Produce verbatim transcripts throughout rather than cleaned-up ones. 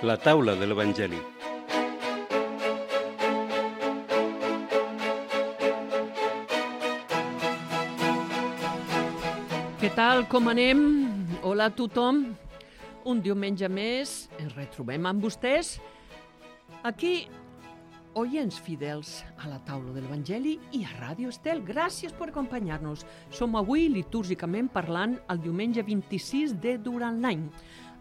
La taula de l'Evangeli. Què tal, com anem? Hola a tothom. Un diumenge més ens retrobem amb vostès aquí, oients fidels a la taula de l'Evangeli i a Ràdio Estel. Gràcies per acompanyar-nos. Som avui litúrgicament parlant el diumenge vint-i-sis de durant l'any.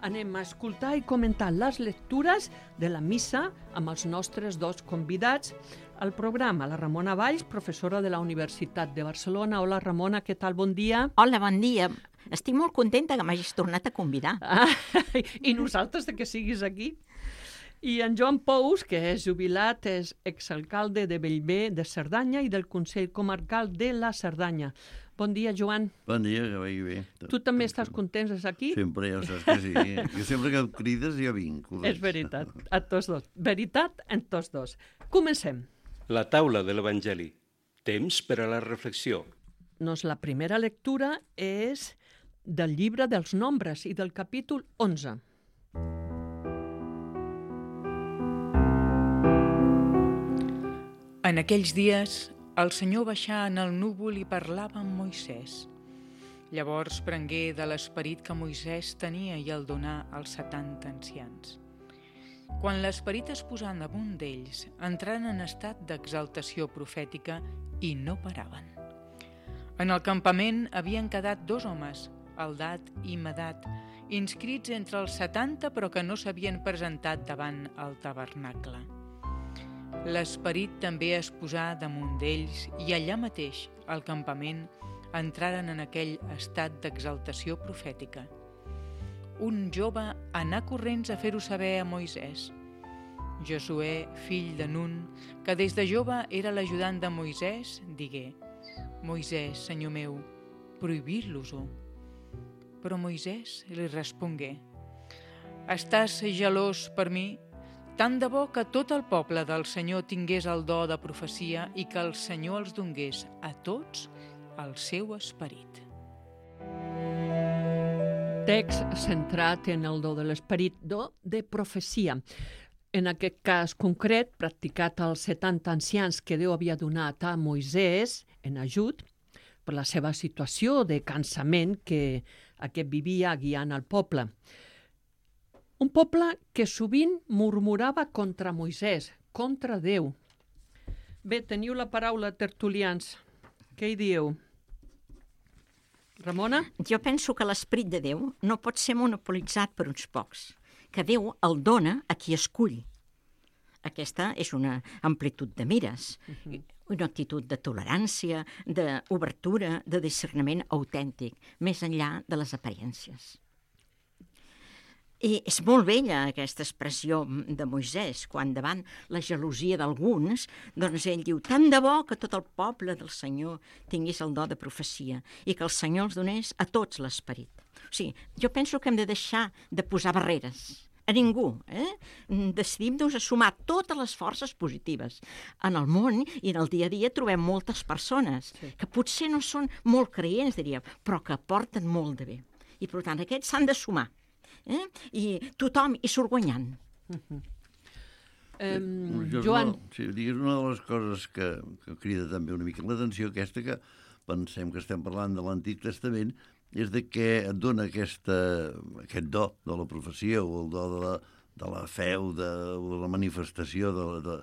Anem a escoltar i comentar les lectures de la missa amb els nostres dos convidats al programa. La Ramona Valls, professora de la Universitat de Barcelona. Hola, Ramona, què tal? Bon dia. Hola, bon dia. Estic molt contenta que m'hagis tornat a convidar. Ah, i nosaltres de que siguis aquí. I en Joan Pous, que és jubilat, és exalcalde de Bellver de Cerdanya i del Consell Comarcal de la Cerdanya. Bon dia, Joan. Bon dia, que vagi bé. Tu també estàs content d'estar aquí? Sempre, ja saps que sí. Jo sempre que em crides ja vinc. És veritat, a tots dos. Veritat en tots dos. Comencem. La taula de l'Evangeli. Temps per a la reflexió. Doncs la primera lectura és del llibre dels Nombres i del capítol onze. En aquells dies, el Senyor baixà en el núvol i parlava amb Moisès. Llavors prengué de l'esperit que Moisès tenia i el donà als setanta ancians. Quan l'esperit es posà damunt d'ells, entraren en estat d'exaltació profètica i no paraven. En el campament havien quedat dos homes, Eldad i Medat, inscrits entre els setanta però que no s'havien presentat davant el tabernacle. L'esperit també es posà damunt d'ells i allà mateix, al campament, entraren en aquell estat d'exaltació profètica. Un jove anà corrents a fer-ho saber a Moisès. Josué, fill de Nun, que des de jove era l'ajudant de Moisès, digué: «Moisès, senyor meu, prohibir-los-ho». Però Moisès li respongué: «Estàs gelós per mi? Tant de bo que tot el poble del Senyor tingués el do de profecia i que el Senyor els donés a tots el seu esperit». Text centrat en el do de l'esperit, do de profecia. En aquest cas concret, practicat als setanta ancians que Déu havia donat a Moisès en ajut per la seva situació de cansament que aquest vivia guiant al poble. Un poble que sovint murmurava contra Moisès, contra Déu. Bé, teniu la paraula, tertulians. Què hi dieu? Ramona? Jo penso que l'esperit de Déu no pot ser monopolitzat per uns pocs, que Déu el dona a qui escull. Aquesta és una amplitud de mires, uh-huh. una actitud de tolerància, d'obertura, de discerniment autèntic, més enllà de les aparences. I és molt bella aquesta expressió de Moisès, quan davant la gelosia d'alguns, doncs ell diu: tant de bo que tot el poble del Senyor tingués el do de profecia i que el Senyor els donés a tots l'esperit. O sigui, jo penso que hem de deixar de posar barreres a ningú. Eh? Decidim-nos a sumar totes les forces positives. En el món i en el dia a dia trobem moltes persones sí. que potser no són molt creients, diríem, però que aporten molt de bé. I, per tant, aquests s'han de sumar. Eh? I tothom hi surt guanyant. Uh-huh. Um, jo, Joan. No, sí, és una de les coses que, que crida també una mica l'atenció, aquesta que pensem que estem parlant de l'Antic Testament, és de què et dona aquesta, aquest do de la profecia o el do de la, de la fe o de, o de la manifestació de, de,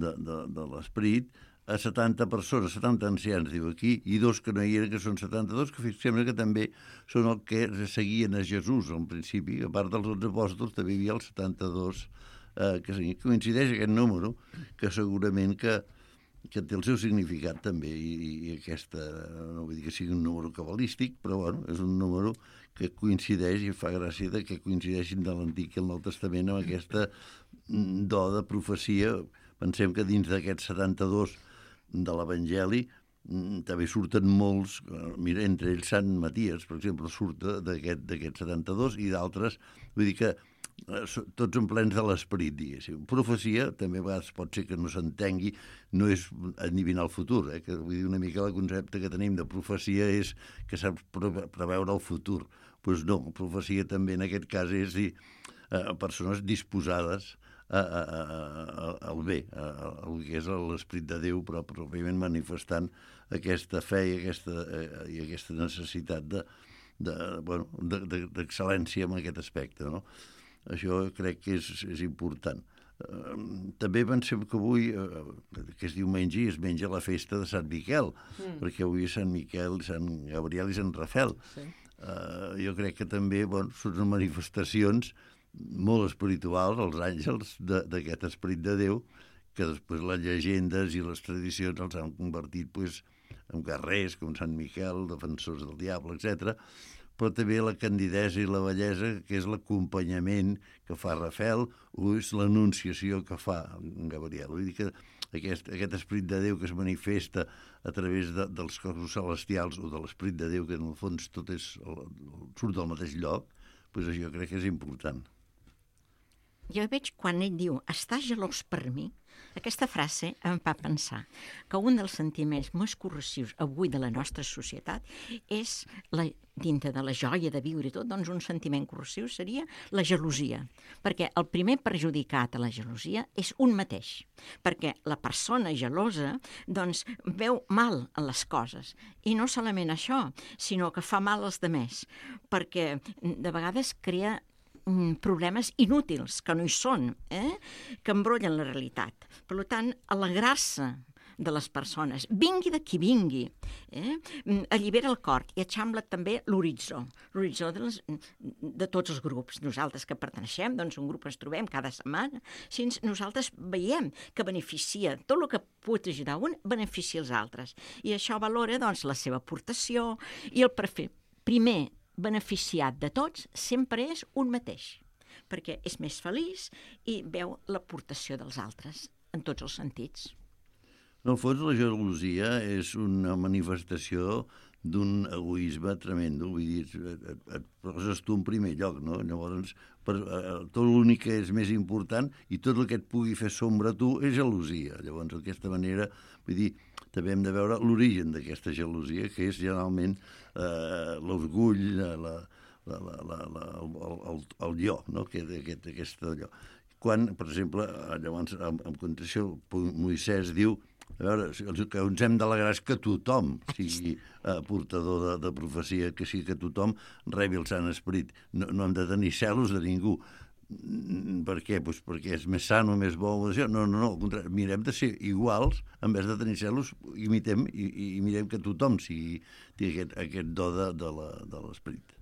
de, de, de l'esperit a setanta persones, setanta ancians, diu aquí, i dos que no hi eren, que són setanta-dos, que sembla que també són el que seguien a Jesús, al principi. A part dels dotze apòstols, també hi havia els setanta-dos, eh, que coincideix aquest número, que segurament que, que té el seu significat també, i, i aquesta, no vull dir que sigui un número cabalístic, però bueno, és un número que coincideix i fa gràcia de que coincideixin de l'Antic i el Nou Testament amb aquesta do de profecia. Pensem que dins d'aquests setanta-dos de l'Evangeli també surten molts, mira, entre ells Sant Maties, per exemple, surt d'aquest d'aquests setanta-dos i d'altres, vull dir que tots en plens de l'esperit, diguéssim. Profecia també a vegades pot ser que no s'entengui, no és adivinar el futur, eh? Que vull dir una mica el concepte que tenim de profecia és que saps preveure el futur. Doncs pues no, profecia també en aquest cas és dir, eh, persones disposades a, a, a, a, al bé, a, a, al que és l'esperit de Déu, però pròpiament manifestant aquesta fe i aquesta, eh, i aquesta necessitat de, de, bueno, de, de, d'excel·lència en aquest aspecte, no? Això crec que és, és important. Uh, també pensem que avui, uh, que és diumenge, i es menja la festa de Sant Miquel, mm. perquè avui és Sant Miquel, Sant Gabriel i Sant Rafel. Sí. Uh, jo crec que també, bueno, són manifestacions molt espirituals, els àngels, d'aquest esperit de Déu, que després les llegendes i les tradicions els han convertit pues, en guerrers, com Sant Miquel, defensors del diable, etcètera, però també la candidesa i la bellesa, que és l'acompanyament que fa Rafel, o és l'anunciació que fa en Gabriel. Vull dir que aquest, aquest esperit de Déu que es manifesta a través de, dels cossos celestials o de l'esperit de Déu, que en el fons tot és, surt del mateix lloc, doncs això crec que és important. Jo veig quan ell diu, estàs gelós per mi, aquesta frase em fa pensar que un dels sentiments més corrosius avui de la nostra societat és, la, dintre de la joia de viure i tot, doncs un sentiment corrosiu seria la gelosia, perquè el primer perjudicat a la gelosia és un mateix, perquè la persona gelosa doncs veu mal en les coses, i no solament això, sinó que fa mal als demés, perquè de vegades crea problemes inútils, que no hi són, eh? que embrollen la realitat. Per tant, alegrar-se de les persones, vingui de qui vingui, eh? allibera el cor i eixambla també l'horitzó, l'horitzó de, les, de tots els grups. Nosaltres que perteneixem, doncs un grup ens trobem cada setmana, si nosaltres veiem que beneficia, tot el que pot ajudar un, beneficia els altres. I això valora doncs, la seva aportació i el prefer. Primer beneficiat de tots sempre és un mateix, perquè és més feliç i veu l'aportació dels altres en tots els sentits. En el fons, la gelosia és una manifestació d'un egoisme tremendo, vull dir, et, et poses tu en primer lloc, no? Llavors, per, eh, tot l'únic que és més important i tot el que et pugui fer sombra a tu és gelosia. Llavors, d'aquesta manera, vull dir, també hem de veure l'origen d'aquesta gelosia, que és generalment eh, l'orgull, la, la, la, la, la, el, el, el jo, no? que, aquest, aquest allò. Quan, per exemple, llavors, en, en condició, Moisès diu a veure, el que ens hem d'alegrar és que tothom sigui eh, portador de, de profecia, que sigui que tothom rebi el Sant Esperit. No, no hem de tenir celos de ningú. Per què? Pues perquè és més sano, més bo. No, no, no, al contrari, mirem de ser iguals, en vez de tenir celos, imitem i, i mirem que tothom sigui, tingui aquest, aquest do de, de l'esperit.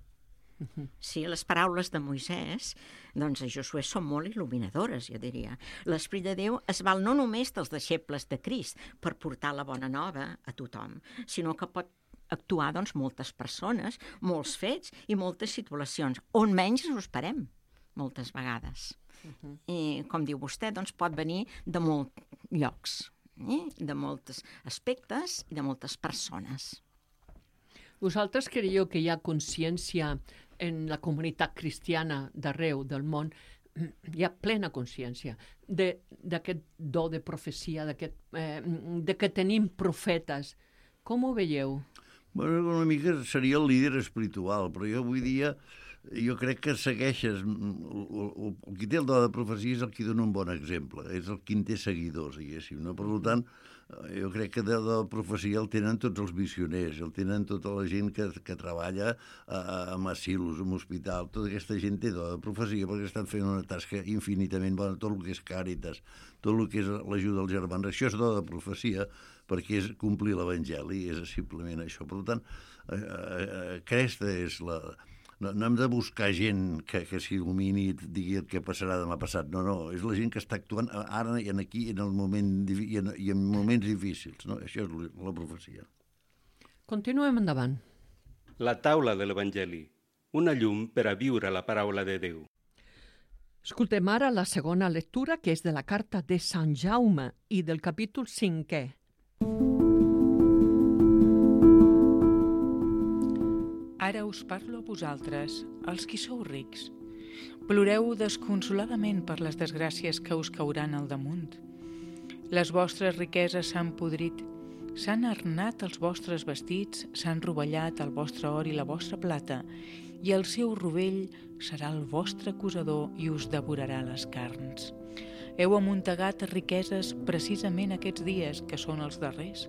Sí, les paraules de Moisès, doncs a Josué són molt il·luminadores, jo diria. L'esperit de Déu es val no només dels deixebles de Crist per portar la bona nova a tothom, sinó que pot actuar doncs, moltes persones, molts fets i moltes situacions, on menys ens ho esperem, moltes vegades. Uh-huh. I, com diu vostè, doncs pot venir de molts llocs, eh? de molts aspectes i de moltes persones. Vosaltres creieu que hi ha consciència en la comunitat cristiana d'arreu del món, hi ha plena consciència d'aquest do de profecia, d'aquest, eh, de que tenim profetes. Com ho veieu? Bueno, una mica seria el líder espiritual, però jo avui dia jo crec que segueixes, el, el, el qui té el do de profecia és el qui dona un bon exemple, és el qui en té seguidors, diguéssim, no? Per tant, jo crec que de la profecia el tenen tots els missioners, el tenen tota la gent que, que treballa a, a asilos, en hospital, tota aquesta gent té do de profecia perquè estan fent una tasca infinitament bona, tot el que és càritas, tot el que és l'ajuda als germans, això és do de profecia perquè és complir l'evangeli, és simplement això. Per tant, aquesta és la... No, no hem de buscar gent que, que s'il·lumini i digui el que passarà demà passat. No, no, és la gent que està actuant ara i en aquí en el moment, i, en, i en moments difícils. No? Això és la profecia. Continuem endavant. La taula de l'Evangeli, una llum per a viure la paraula de Déu. Escoltem ara la segona lectura, que és de la carta de Sant Jaume i del capítol cinquè. Ara us parlo a vosaltres, els qui sou rics. Ploreu desconsoladament per les desgràcies que us cauran al damunt. Les vostres riqueses s'han podrit, s'han arnat els vostres vestits, s'han rovellat el vostre or i la vostra plata, i el seu rovell serà el vostre acusador i us devorarà les carns. Heu amuntegat riqueses precisament aquests dies, que són els darrers.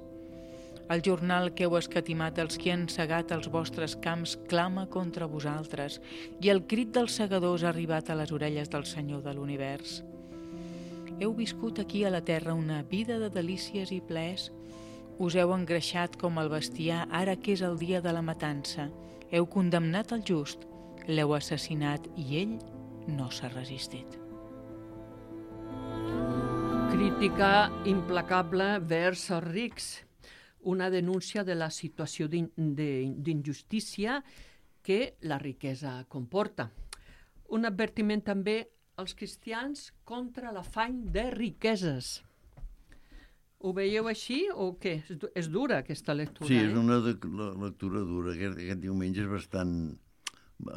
El jornal que heu escatimat els qui han segat els vostres camps clama contra vosaltres, i el crit dels segadors ha arribat a les orelles del Senyor de l'univers. Heu viscut aquí a la terra una vida de delícies i plaers. Us heu engreixat com el bestiar ara que és el dia de la matança. Heu condemnat el just, l'heu assassinat i ell no s'ha resistit. Crítica implacable vers els rics. Una denúncia de la situació d'in- de- d'injustícia que la riquesa comporta. Un advertiment també als cristians contra l'afany de riqueses. Ho veieu així o què? És, du- és dura aquesta lectura, Sí, és eh? una de, la, lectura dura. Aquest, aquest diumenge és bastant,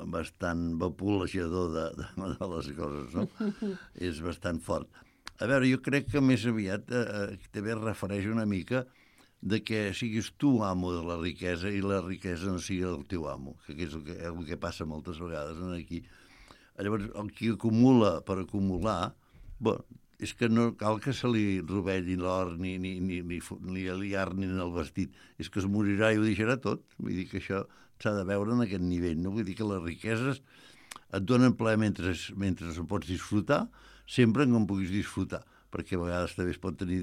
bastant vapolejador de, de, de les coses, no? És bastant fort. A veure, jo crec que més aviat eh, eh, també es refereix una mica de que siguis tu amo de la riquesa i la riquesa no sigui el teu amo, que és el que, el que passa moltes vegades aquí. Llavors, el qui acumula per acumular, bueno, és que no cal que se li rovelli l'or ni, ni, ni, ni, ni li arnin el vestit, és que es morirà i ho deixarà tot. Vull dir que això s'ha de veure en aquest nivell, no? Vull dir que les riqueses et donen plaer mentre, mentre ho pots disfrutar, sempre que en puguis disfrutar, perquè a vegades també es pot tenir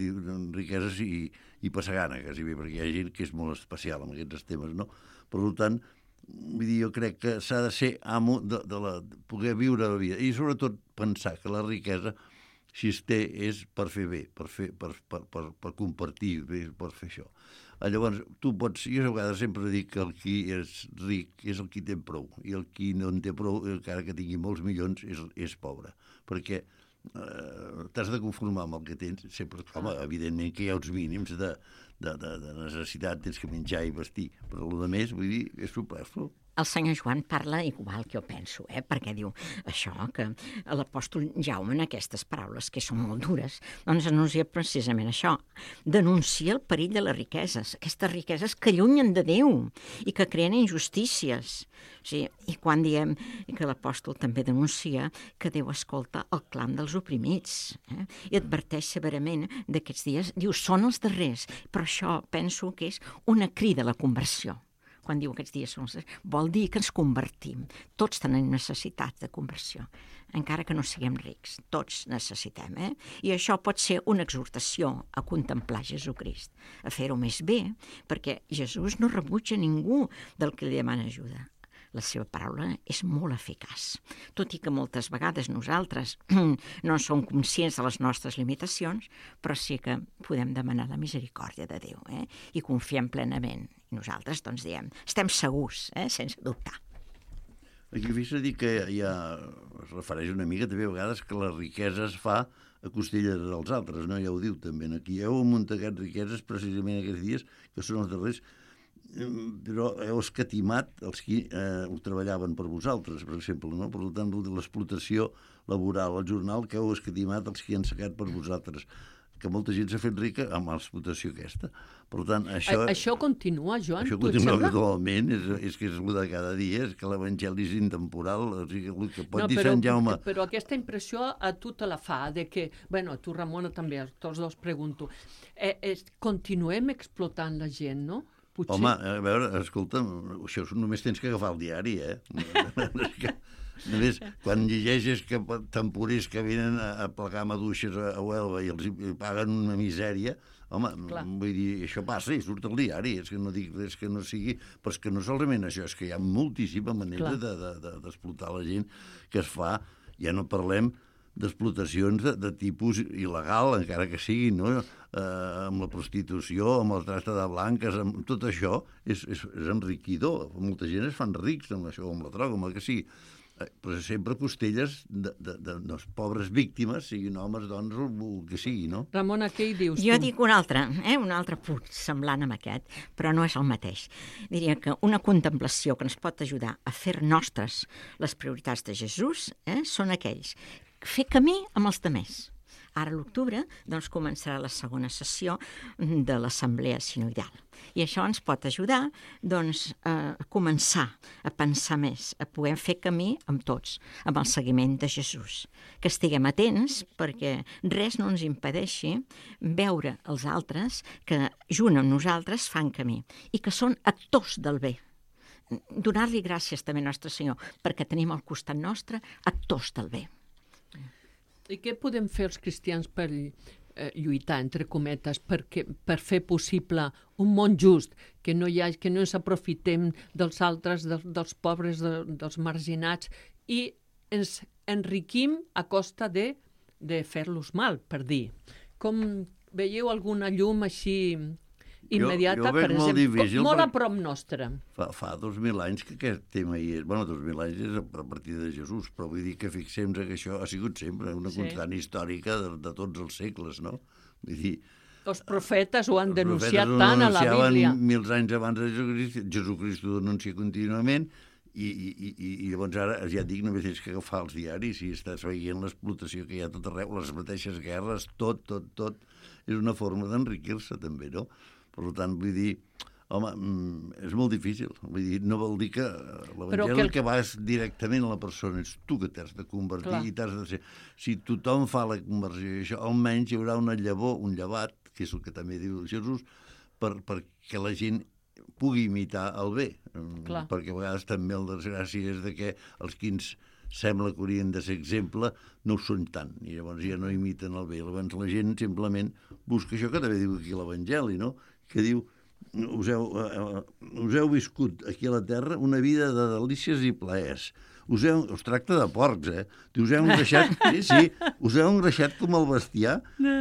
riqueses i, i passar gana, quasi bé, perquè hi ha gent que és molt especial en aquests temes, no? Per tant, vull dir, jo crec que s'ha de ser amo de, de, la, de poder viure la vida i sobretot pensar que la riquesa, si es té, és per fer bé, per, fer, per, per, per, per compartir, per fer això. Llavors, tu pots... Jo a vegades sempre dic que el qui és ric és el qui té prou, i el qui no en té prou, encara que tingui molts milions, és, és pobre, perquè eh, t'has de conformar amb el que tens, sempre, home, evidentment que hi ha uns mínims de, de, de, de necessitat, tens que menjar i vestir, però el més, vull dir, és superflu. El senyor Joan parla igual que jo penso, eh? Perquè diu això, que l'apòstol Jaume en aquestes paraules, que són molt dures, doncs anuncia precisament això, denuncia el perill de les riqueses, aquestes riqueses que allunyen de Déu i que creen injustícies. Sí, i quan diem que l'apòstol també denuncia que Déu escolta el clam dels oprimits, eh? I adverteix severament d'aquests dies, diu, són els darrers, però això penso que és una crida a la conversió. Quan diu aquests dies són els darrers, vol dir que ens convertim. Tots tenim necessitat de conversió, encara que no siguem rics. Tots necessitem, eh? I això pot ser una exhortació a contemplar Jesucrist, a fer-ho més bé, perquè Jesús no rebutja ningú del que li demana ajuda. La seva paraula és molt eficaç, tot i que moltes vegades nosaltres no som conscients de les nostres limitacions, però sí que podem demanar la misericòrdia de Déu, eh? I confiem plenament. I nosaltres, doncs, diem, estem segurs, eh? Sense dubtar. Aquí fes a dir que ja es refereix una mica també a vegades que la riquesa es fa a costelles dels altres, no? Ja ho diu també aquí. Heu amuntegat riqueses precisament aquests dies, que són els darrers, però heu escatimat els qui eh, ho treballaven per vosaltres, per exemple, no? Per tant, l'explotació laboral, el jornal que heu escatimat els qui han segat per vosaltres, que molta gent s'ha fet rica amb l'explotació aquesta. Per tant, això... A, això continua, Joan? Això tu et continua sembla? actualment, és, és que és el de cada dia, és que l'evangeli és intemporal, o sigui, el que pot No, dir però, Sant Jaume... però aquesta impressió a tu te la fa, de que, bueno, a tu, Ramona, també, a tots dos pregunto, eh, eh, continuem explotant la gent, no? Potser... Home, a veure, escolta'm, això només tens que agafar el diari, eh? que, només, quan llegeixes que temporers que venen a, a plegar maduixes a, a Huelva i els paguen una misèria, home, Clar. Vull dir, això passa i surt al diari, és que no dic res que no sigui, però és que no solament això, és que hi ha moltíssima manera de, de, de, d'explotar la gent que es fa, ja no parlem d'explotacions de, de tipus il·legal, encara que sigui, no? Eh, amb la prostitució, amb la tracta de blanques, amb tot això és, és, és enriquidor. Molta gent es fan rics amb això, amb la droga, amb el que sigui. Eh, però sempre costelles de, de, de, de les pobres víctimes, siguin homes, dones, o el que sigui, no? Ramona, què hi dius Jo tu? dic un altre, eh? un altre punt semblant amb aquest, però no és el mateix. Diria que una contemplació que ens pot ajudar a fer nostres les prioritats de Jesús eh? són aquells fer camí amb els demés. Ara a l'octubre doncs, començarà la segona sessió de l'Assemblea Sinoidal. I això ens pot ajudar doncs, a començar a pensar més, a poder fer camí amb tots, amb el seguiment de Jesús. Que estiguem atents perquè res no ens impedeixi veure els altres que junt amb nosaltres fan camí i que són actors del bé. Donar-li gràcies també al nostre Senyor perquè tenim al costat nostre actors del bé. I què podem fer els cristians per eh, lluitar, entre cometes, perquè, per fer possible un món just, que no, hi ha, que no ens aprofitem dels altres, de, dels pobres, de, dels marginats, i ens enriquim a costa de, de fer-los mal, per dir. Com veieu alguna llum així immediata, jo, jo per exemple, difícil, molt a perquè prop nostre? Fa, fa dos mil anys que aquest tema hi és. Bueno, dos mil anys és a partir de Jesús, però vull dir que fixem-nos que això ha sigut sempre una Sí. constant històrica de, de tots els segles, no? Vull dir, Els profetes ho han els denunciat profetes ho tant a la denunciaven Bíblia. mils anys abans de Jesucrist, Jesucrist ho denuncia contínuament, i, i, i, i llavors ara, ja et dic, només tens que agafar els diaris i estàs veient l'explotació que hi ha a tot arreu, les mateixes guerres, tot, tot, tot. És una forma d'enriquir-se també, no? Per tant, vull dir, home, és molt difícil. Vull dir, no vol dir que l'Evangeli que el- el que va és directament a la persona, ets tu que t'has de convertir. Clar. I t'has de ser... Si tothom fa la conversió i això, almenys hi haurà una llavor, un llevat, que és el que també diu Jesús, per, perquè la gent pugui imitar el bé. Clar. Perquè a vegades també el desgràcia és de que els que ens sembla que haurien de ser exemple no ho són tant, i llavors ja no imiten el bé. Llavors la gent simplement busca això que també diu aquí l'Evangeli, no? Que diu, us heu, eh, us heu viscut aquí a la terra una vida de delícies i plaers. Us, heu, us tracta de porcs, eh? Us heu engreixat, sí, sí, us heu engreixat com el bestiar,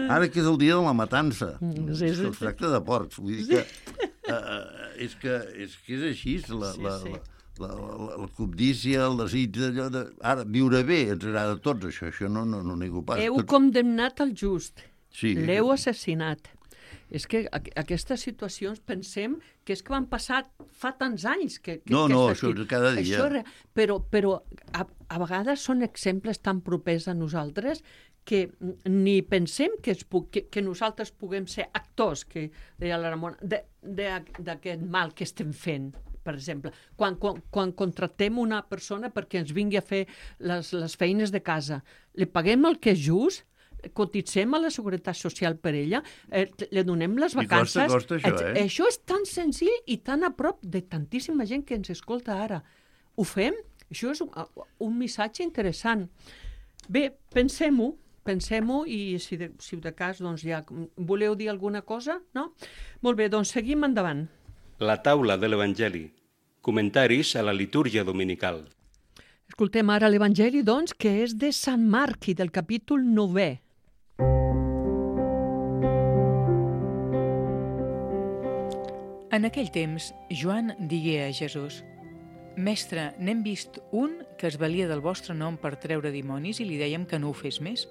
ara que és el dia de la matança. Sí, sí, Us sí. tracta de porcs. Vull dir que, eh, és, que és que és així, la, Sí, la, sí. la, la, la, la cobdícia, el desig d'allò de... Ara, viure bé, ens agrada a tots, això, això no, no, no nego pas. Heu Tots- condemnat el just. Sí. L'heu assassinat. És que aqu aquestes situacions pensem que és que van passar fa tants anys que, que, No, que no, està això aquí. és cada dia. Això, és re- però però a, a vegades són exemples tan propers a nosaltres que ni pensem que, es pu que, que nosaltres puguem ser actors, que deia la Ramona, d'aquest mal que estem fent. Per exemple, quan, quan, quan contractem una persona perquè ens vingui a fer les, les feines de casa, li paguem el que és just, cotitzem a la Seguretat Social per ella, eh, li donem les I vacances... costa, costa això, et- eh? Això és tan senzill i tan a prop de tantíssima gent que ens escolta ara. Ho fem? Això és un, un missatge interessant. Bé, pensem-ho, pensem-ho i si de, si de cas, doncs ja... Voleu dir alguna cosa? No? Molt bé, doncs seguim endavant. La taula de l'Evangeli. Comentaris a la litúrgia dominical. Escoltem ara l'Evangeli, doncs, que és de Sant Marc i del capítol novè. En aquell temps, Joan digué a Jesús: Mestre, n'hem vist un que es valia del vostre nom per treure dimonis i li dèiem que no ho fes més,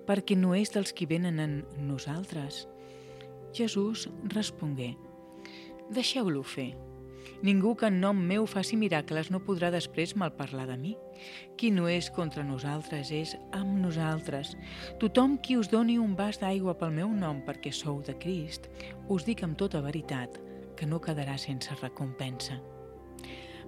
perquè no és dels qui venen en nosaltres. Jesús respongué: Deixeu-lo fer. Ningú que en nom meu faci miracles no podrà després malparlar de mi. Qui no és contra nosaltres és amb nosaltres. Tothom qui us doni un vas d'aigua pel meu nom perquè sou de Crist, us dic amb tota veritat que no quedarà sense recompensa.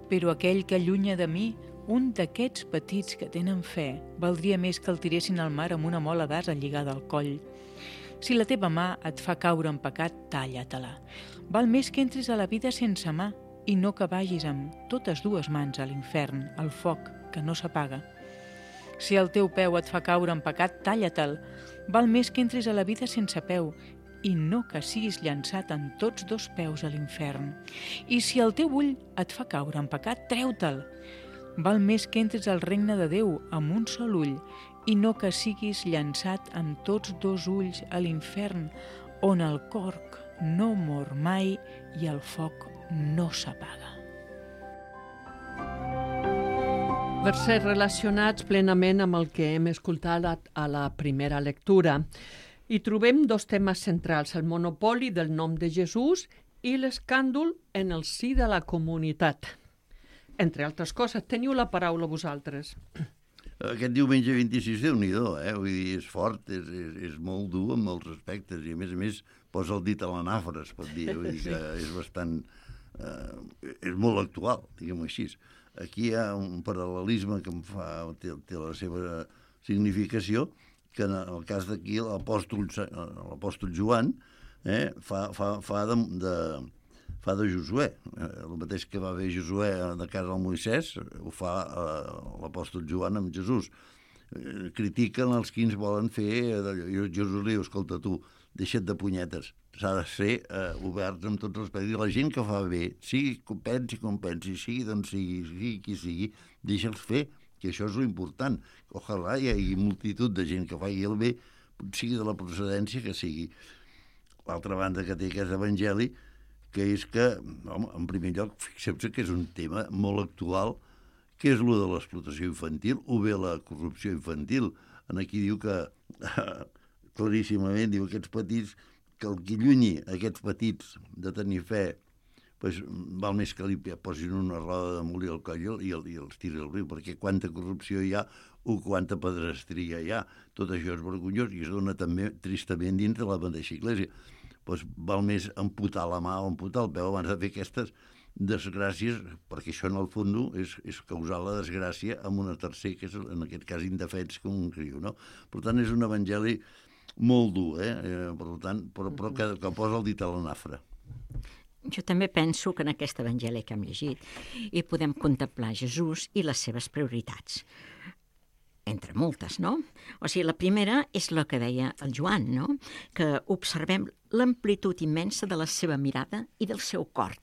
Però aquell que allunya de mi, un d'aquests petits que tenen fe, valdria més que el tiressin al mar amb una mola d'asa lligada al coll. Si la teva mà et fa caure en pecat, talla-te-la. Val més que entris a la vida sense mà i no que vagis amb totes dues mans a l'infern, al foc que no s'apaga. Si el teu peu et fa caure en pecat, talla-te'l. Val més que entris a la vida sense peu i no que siguis llançat en tots dos peus a l'infern. I si el teu ull et fa caure en pecat, treu-te'l. Val més que entris al regne de Déu amb un sol ull i no que siguis llançat amb tots dos ulls a l'infern, on el corc no mor mai i el foc no s'apaga. Versets relacionats plenament amb el que hem escoltat a la primera lectura. Hi trobem dos temes centrals, el monopoli del nom de Jesús i l'escàndol en el si de la comunitat. Entre altres coses, teniu la paraula vosaltres. Aquest diumenge vint-i-sis, Déu-n'hi-do, eh? Vull dir, és fort, és, és, és molt dur en molts aspectes, i a més a més posa el dit a la nafra, es pot dir, vull dir que és bastant... Eh, és molt actual, diguem-ho així. Aquí hi ha un paral·lelisme que em fa, té, té la seva significació, que en el cas d'aquí l'apòstol l'apòstol Joan eh, fa, fa, fa, de, de, fa de Josué. Eh, el mateix que va fer Josué de casa al Moisès, ho fa eh, l'apòstol Joan amb Jesús. Eh, critiquen els que ens volen fer... Eh, Jesús li diu, escolta tu, deixa't de punyetes. S'ha de ser eh, oberts amb tots els pedis. La gent que fa bé, sigui com pensi com pensi, sigui d'on sigui, sigui qui sigui, deixa'ls fer, que això és l'important. Ojalà hi hagi multitud de gent que faci el bé, sigui de la procedència que sigui. L'altra banda que té aquest evangeli, que és que, home, en primer lloc, fixeu-vos que és un tema molt actual, que és el de l'explotació infantil, o bé la corrupció infantil. En aquí diu que, claríssimament, diu aquests petits, que el que llunyi aquests petits de tenir fe, pues, val més que li posin una roda de molí al coll i, el, i els tiri al riu, perquè quanta corrupció hi ha o quanta pedrestria hi ha. Tot això és vergonyós i es dona també tristament dins de la mateixa Església. Pues, val més amputar la mà o amputar el peu abans de fer aquestes desgràcies, perquè això en el fons és, és causar la desgràcia amb una tercer, que és en aquest cas indefens com un criu, no? Per tant, és un evangeli molt dur, eh? eh per tant, però, però que, que posa el dit a la nafra. Jo també penso que en aquest evangeli que hem llegit hi podem contemplar Jesús i les seves prioritats. Entre moltes, no? O sigui, la primera és la que deia el Joan, no? Que observem l'amplitud immensa de la seva mirada i del seu cor,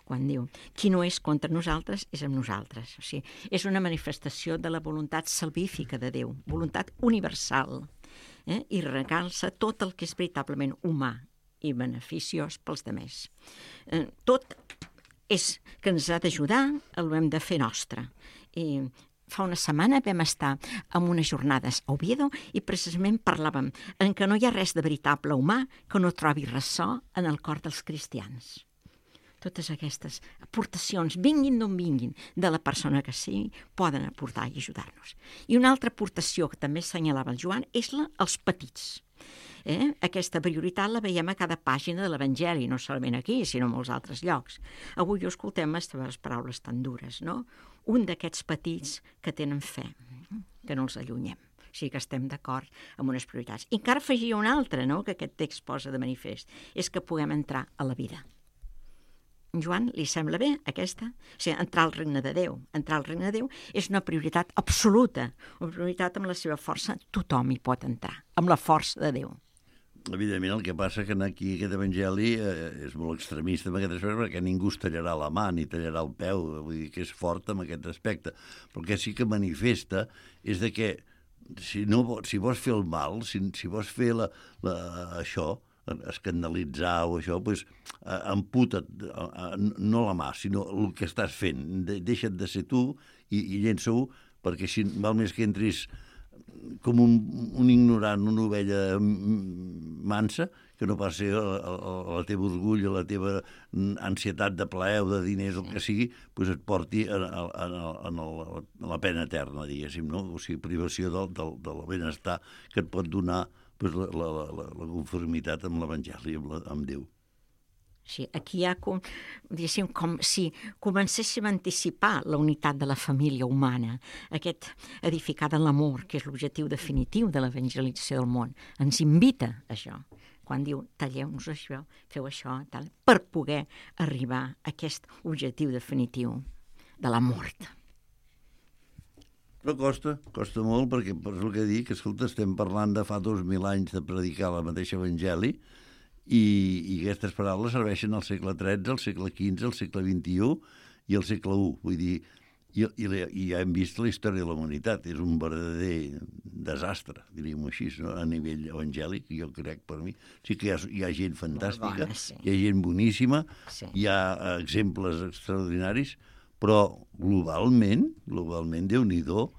quan diu, qui no és contra nosaltres és amb nosaltres. O sigui, és una manifestació de la voluntat salvífica de Déu, voluntat universal, eh? I recalça tot el que és veritablement humà i beneficiós pels demés. Eh, tot és que ens ha d'ajudar, ho hem de fer nostre. I fa una setmana vam estar en unes jornades a Oviedo i precisament parlàvem en què no hi ha res de veritable humà que no trobi ressò en el cor dels cristians. Totes aquestes aportacions, vinguin d'on vinguin, de la persona que sigui, poden aportar i ajudar-nos. I una altra aportació que també assenyalava el Joan és la als petits. Eh? Aquesta prioritat la veiem a cada pàgina de l'Evangeli, no solament aquí, sinó en molts altres llocs. Avui ho escoltem les teves paraules tan dures, no? Un d'aquests petits que tenen fe, que no els allunyem. O sigui que estem d'acord amb unes prioritats. I encara afegia una altra, no?, que aquest text posa de manifest, és que puguem entrar a la vida. Joan, li sembla bé aquesta? O sigui, entrar al regne de Déu. Entrar al regne de Déu és una prioritat absoluta, una prioritat amb la seva força. Tothom hi pot entrar, amb la força de Déu. Evidentment, el que passa que aquí aquest evangeli eh, és molt extremista en aquest aspecte, perquè ningú es tallarà la mà ni tallarà el peu, vull dir que és fort en aquest aspecte. Però el que sí que manifesta és de que si, no, si vols fer el mal, si, si vols fer la, la, això, escandalitzar o això, doncs, eh, amputa't, eh, no la mà, sinó el que estàs fent. De, deixa't de ser tu i, i llença-ho, perquè si val més que entris com un, un ignorant, una ovella mansa, que no pas ser la, la, la teva orgull, la teva ansietat de plaer o de diners, el que sigui, doncs et porti a, a, a, a, a, a la pena eterna, diguéssim, no? O sigui, privació del, del, del benestar que et pot donar pues, la, la, la, la conformitat amb l'Evangeli, amb, la, amb Déu. Sí, aquí hi ha com, com si comencéssim a anticipar la unitat de la família humana, aquest edificada en l'amor, que és l'objectiu definitiu de l'evangelització del món. Ens invita a això, quan diu talleu-nos això, feu això, tal, per poder arribar a aquest objectiu definitiu de la mort. Però costa, costa molt, perquè per el que dic, escolta, estem parlant de fa dos mil anys de predicar la mateixa evangeli i, i aquestes paraules serveixen al segle tretze, al segle quinze, al segle vint-i-u i al segle u. Vull dir, i, i, i ja hem vist la història de la humanitat. És un verdader desastre, diríem-ho així, no? A nivell evangèlic, jo crec, per mi. Sí que hi ha, hi ha gent fantàstica, bona, sí. Hi ha gent boníssima, sí. Hi ha exemples extraordinaris, però globalment, globalment, Déu-n'hi-do,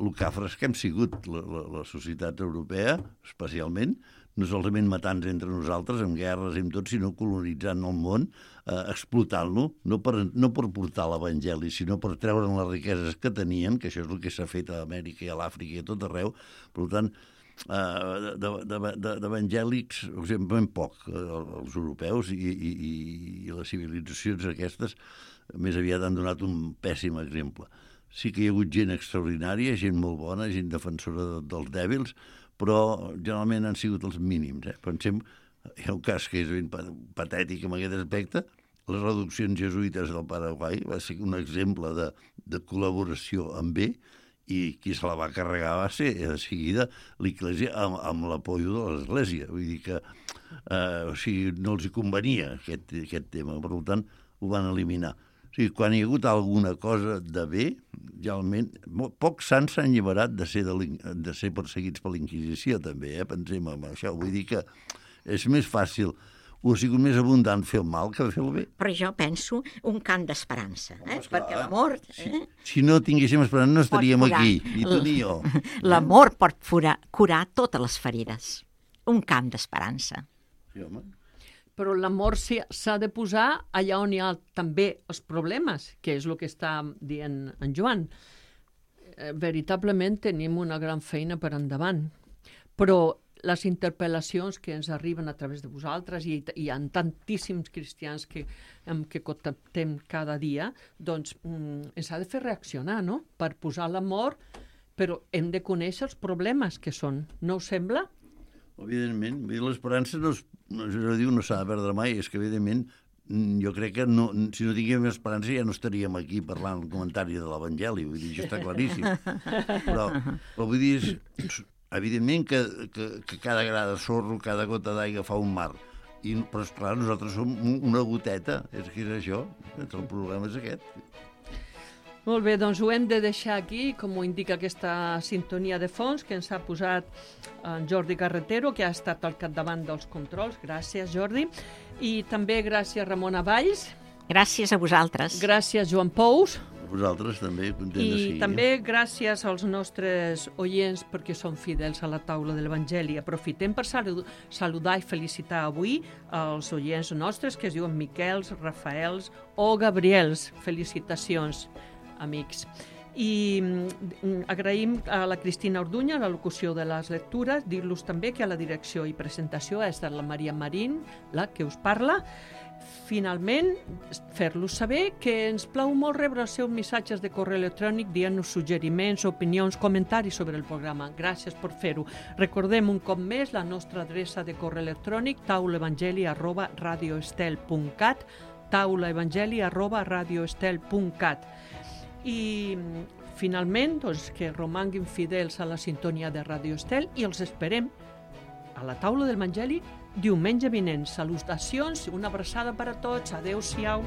el cafres que hem sigut la, la, la societat europea, especialment, no solament matant entre nosaltres, amb guerres i amb tot, sinó colonitzant el món, eh, explotant-lo, no per, no per portar l'Evangeli, sinó per treure'n les riqueses que tenien, que això és el que s'ha fet a Amèrica i a l'Àfrica i a tot arreu. Per tant, eh, d'evangèlics, ben poc, els europeus i, i, i les civilitzacions aquestes més aviat han donat un pèssim exemple. Sí que hi ha hagut gent extraordinària, gent molt bona, gent defensora de, dels dèbils, però generalment han sigut els mínims. Eh? Pensem, hi ha un cas que és ben patètic en aquest aspecte, les reduccions jesuïtes del Paraguai va ser un exemple de, de col·laboració amb bé, i qui se la va carregar va ser de seguida l'Església amb, amb l'apoyo de l'Església. Vull dir que eh, o sigui, no els hi convenia aquest, aquest tema, per tant ho van eliminar. O sigui, quan hi ha hagut alguna cosa de bé, realment, pocs sants s'han alliberat de ser, de, de ser perseguits per l'Inquisició, també, eh? Pensem en això. Vull dir que és més fàcil, o ha sigut més abundant fer el mal que fer el bé. Però jo penso un cant d'esperança, eh? Perquè l'amor... Eh? Si, si no tinguéssim esperança no estaríem aquí, ni tu ni jo. L'amor pot curar, curar totes les ferides. Un cant d'esperança. Sí, home. Però l'amor s'ha de posar allà on hi ha també els problemes, que és el que està dient en Joan. Eh, veritablement tenim una gran feina per endavant, però les interpel·lacions que ens arriben a través de vosaltres, i hi ha tantíssims cristians que, que contactem cada dia, doncs mm, ens ha de fer reaccionar, no?, per posar l'amor, però hem de conèixer els problemes que són. No us sembla? Evidentment, l'esperança no, no, no, diu, no s'ha de perdre mai, és que evidentment jo crec que no, si no tinguem esperança ja no estaríem aquí parlant el comentari de l'Evangeli, vull dir, això està claríssim. Però, però vull dir, és, evidentment que, que, que cada gra de sorro, cada gota d'aigua fa un mar, I, però esclar, nosaltres som una goteta, és que és això, el problema és aquest. Molt bé, doncs ho hem de deixar aquí, com ho indica aquesta sintonia de fons que ens ha posat en Jordi Carretero, que ha estat al capdavant dels controls. Gràcies, Jordi. I també gràcies, Ramona Valls. Gràcies a vosaltres. Gràcies, Joan Pous. A vosaltres també, content de I seguir. també gràcies als nostres oients perquè són fidels a la taula de l'Evangeli. Aprofitem per saludar i felicitar avui els oients nostres que es diuen Miquels, Rafaels o Gabriels. Felicitacions, amics. I agraïm a la Cristina Orduña la locució de les lectures, dir-los també que a la direcció i presentació ha estat la Maria Marín, la que us parla. Finalment, fer-los saber que ens plau molt rebre els seus missatges de correu electrònic dient-nos suggeriments, opinions, comentaris sobre el programa. Gràcies per fer-ho. Recordem un cop més la nostra adreça de correu electrònic taulaevangeli arroba radioestel punt cat taulaevangeli arroba radioestel punt cat. I finalment, doncs, que romanguin fidels a la sintonia de Radio Estel i els esperem a la taula del Evangeli diumenge vinent. Salutacions, una abraçada per a tots. Adéu-siau.